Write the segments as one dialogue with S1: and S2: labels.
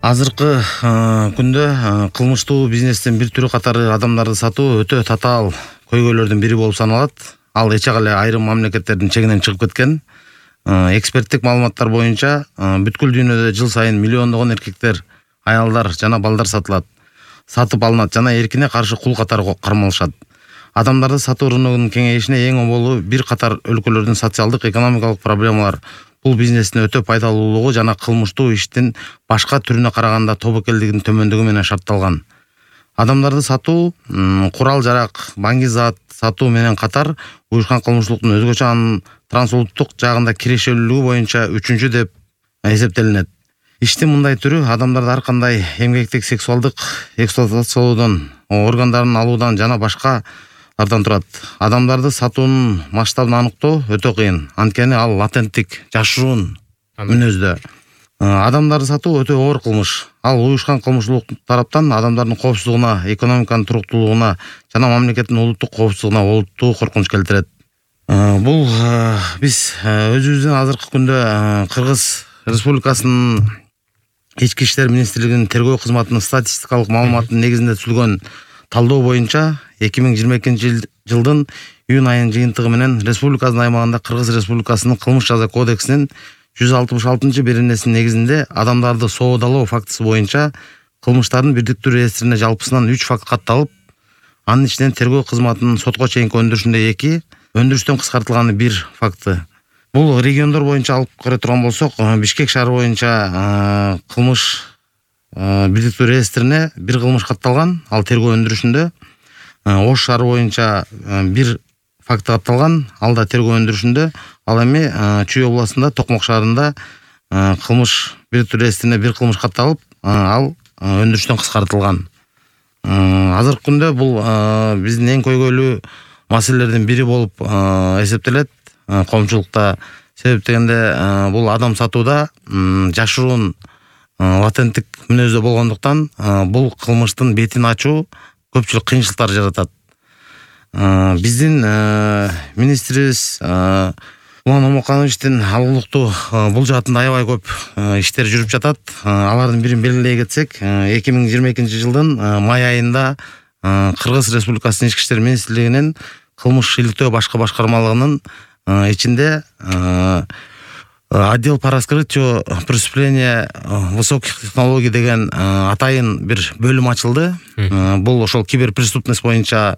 S1: Азыркы күндө кылмыштуу бизнестин бир түрү катары адамдарды сатуу өтө татаал көйгөйлөрдүн бири болуп саналат. Ал эчек эле айрым мамлекеттердин чегинен чыгып кеткен. Эксперттик маалыматтар боюнча бүткүл дүйнөдө жыл сайын миллиондогон эркектер, аялдар жана балдар сатып алынат жана эркине каршы кул катары кармалышат. Адамдарды сатуу рыногунун кеңейишине эң оболу бир катар өлкөлөрдүн социалдык экономикалык проблемалар. Бул бизнестин өтө пайдалуулугу жана кылмыштуу иштин башка түрүнө караганда тобокелдигинин төмөндүгү менен шартталган. Адамдарды сатуу, курал-жарак, баңги зат сатуу менен катар уюшкан кылмыштуулуктун өзгөчө анын трансулуттук жагында кирешелүүлүгү боюнча 3-чү деп эсептелинет. Иштин мындай түрү адамдарды ар кандай эмгектик сексуалдык эксплуатациялоодон, органдарын алуудан жана башкалардан турат. Адамдарды сатуунун масштабын аныктоо өтө кыйын, анткени ал латенттик, жашыруун мүнөздө. Адамдарды сатуу өтө оор кылмыш. Ал уюшкан кылмыштуулук тараптан адамдардын коопсуздугуна, экономиканын туруктуулугуна жана мамлекеттин улуттук коопсуздугуна олуттуу коркунуч келтирет. Бул биз өзүбүздүн азыркы күндө Кыргыз Республикасынын Ички иштер министрлигинин тергөө кызматынын статистикалык маалыматынын негизинде түзүлгөн талдоо боюнча 2022 жылдын июнь айынын жыйынтыгы менен республикабыздын аймагында Кыргыз Республикасынын кылмыш жаза кодексинин 166-беренесинин негизинде адамдарды соодалоо фактысы боюнча кылмыштардын бирдиктүү реестрине жалпысынан 3 факт катталып, анын ичинен тергөө кызматынын сотко чейинки өндүрүшүндө 2, өндүрүштөн кыскартылганы 1 факты. Бул региондор боюнча алып карай турган болсок, Бишкек шаары боюнча кылмыш бирдиктүү реестрине 1 кылмыш катталган, ал тергөө өндүрүшүндө. Ош шаары боюнча 1 факты катталган, ал да тергөө өндүрүшүндө. Ал эми Чүй областында Токмок шаарында кылмыш бирдиктүү реестрине 1 кылмыш катталып, ал өндүрүштөн кыскартылган. Азыркы күндө бул биздин эң көйгөйлүү маселелердин бири болуп эсептелет коомчулукта. Себеп дегенде бул адам сатууда жашыруун латенттик мүнөздө болгондуктан бул кылмыштын бетин ачуу көпчүлүк кыйынчылыктар жаратат. Биздин министрибиз Улан Омокановичтин алгылыктуу бул жаатында аябай көп иштер жүрүп жатат. Алардын бирин белгилей кетсек, 2022 жылдын май айында Кыргыз Республикасынын Ички иштер министрлигинин кылмыш иликтөө башкы башкармалыгынын ичинде отдел по раскрытию преступления высоких технологий деген атайын бир бөлүм ачылды. Бул ошол киберпреступность боюнча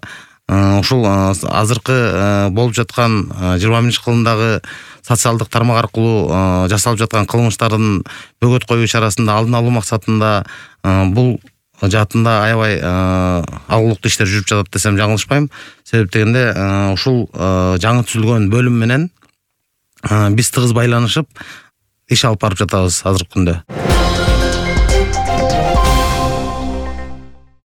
S1: ушул азыркы болуп жаткан 21-кылымдагы социалдык тармак аркылуу жасалып жаткан кылмыштардын бөгөт коюу чарасында алдын алуу максатында бул жаатында аябай алгылыктуу иштер жүрүп жатат десем жаңылышпайм. Себеп дегенде ушул жаңы түзүлгөн бөлүм менен биз тыгыз байланышып иш алып барып жатабыз азыркы күндө.